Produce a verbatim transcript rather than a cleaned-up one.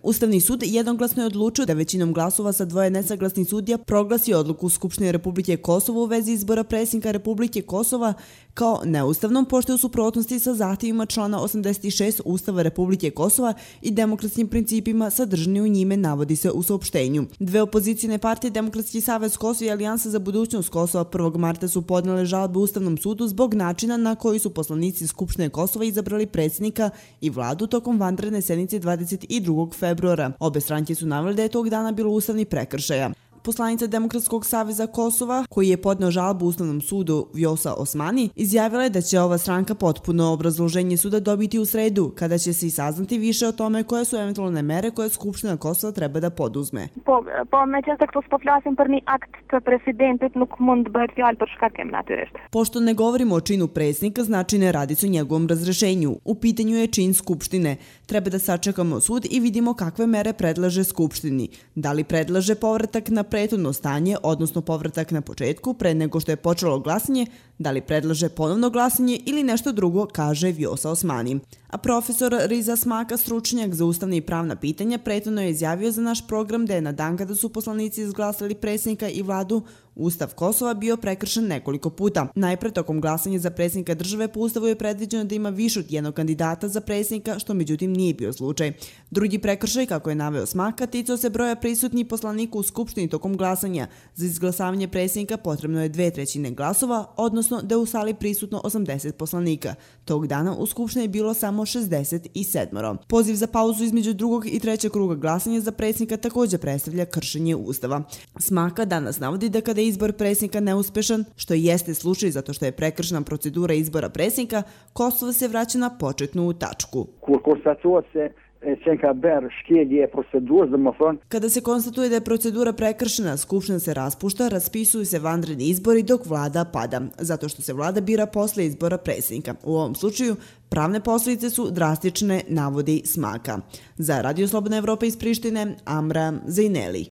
Ustavni sud jednoglasno je odlučio da većinom glasova sa dvoje nesaglasnih sudija proglasi odluku Skupštine Republike Kosovo u vezi izbora predsjednika Republike Kosova kao neustavnom, pošto je u suprotnosti sa zahtjevima člana osamdeset šest Ustava Republike Kosova i demokratskim principima sadržani u njime, navodi se u saopštenju. Dve opozicijne partije, Demokratski savez Kosova i Alijansa za budućnost Kosova, prvog marta su podnele žalbe Ustavnom sudu zbog načina na koji su poslanici Skupštine Kosova izabrali predsjednika i vladu tokom vanredne sednice dvadeset drugog februara. Obe stranke su naveli da je tog dana bilo ustavni prekršaja. Poslanica Demokratskog saveza Kosova, koji je podneo žalbu Ustavnom sudu, Vjosa Osmani, izjavila je da će ova stranka potpuno obrazloženje suda dobiti u sredu, kada će se i saznati više o tome koje su eventualne mere koje Skupština Kosova treba da poduzme. Po, po me qenë se këtu s'po flasim për një akt të presidentit, nuk mund të bëhet fjalë për shkakim natyrisht. Pošto ne govorimo o činu predsjednika, znači ne radi se o njegovom razrešenju. U pitanju je čin Skupštine. Treba da sačekamo sud i vidimo kakve mere predlaže Skupštini. Da li predlaže povratak na prethodno stanje, odnosno povratak na početku, pre nego što je počelo glasanje, da li predlaže ponovno glasanje ili nešto drugo, kaže Vjosa Osmani. A profesor Riza Smaka, stručnjak za ustavne i pravna pitanja, prethodno je izjavio za naš program da je na dan kada su poslanici izglasali predsjednika i vladu, Ustav Kosova bio prekršen nekoliko puta. Najpre, tokom glasanja za predsjednika države po Ustavu je predviđeno da ima više od jednog kandidata za predsjednika, što međutim nije bio slučaj. Drugi prekršaj, kako je naveo Smaka, ticao se broja prisutnih poslanika u Skupštini tokom glasanja. Za izglasavanje predsjednika potrebno je dve trećine glasova, odnosno da je u sali prisutno osamdeset poslanika. Tog dana u Skupštini je bilo samo šezdeset sedam. Poziv za pauzu između drugog i trećeg kruga glasanja za predsjednika također predstavlja kršenje Ustava. Smaka danas navodi da kada je izbor predsjednika neuspešan, što jeste slučaj zato što je prekršena procedura izbora predsjednika, Kosovo se vraća na početnu tačku. Kada se konstatuje da je procedura prekršena, Skupština se raspušta, raspisuju se vanredni izbori dok vlada pada, zato što se vlada bira posle izbora predsjednika. U ovom slučaju pravne posljedice su drastične, navodi Smaka. Za Radio Slobodna Evropa iz Prištine, Amra Zejneli.